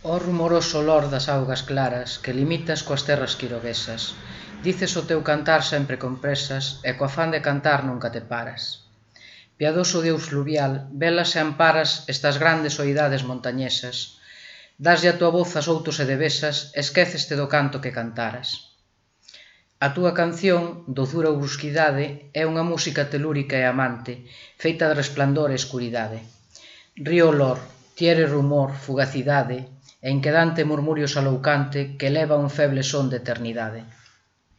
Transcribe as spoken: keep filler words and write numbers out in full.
Ó rumoroso olor das augas claras que limitas coas terras quirovesas, dices o teu cantar sempre con presas e co afán de cantar nunca te paras. Piadoso Deus fluvial, velas e amparas estas grandes oidades montañesas, daslle a tua voz a soutos e devesas, esquéceste do canto que cantaras. A túa canción, dozura ou brusquidade, é unha música telúrica e amante, feita de resplandor e escuridade. Río olor, tiere rumor, fugacidade, e inquedante murmurio saloucante que eleva un feble son de eternidade.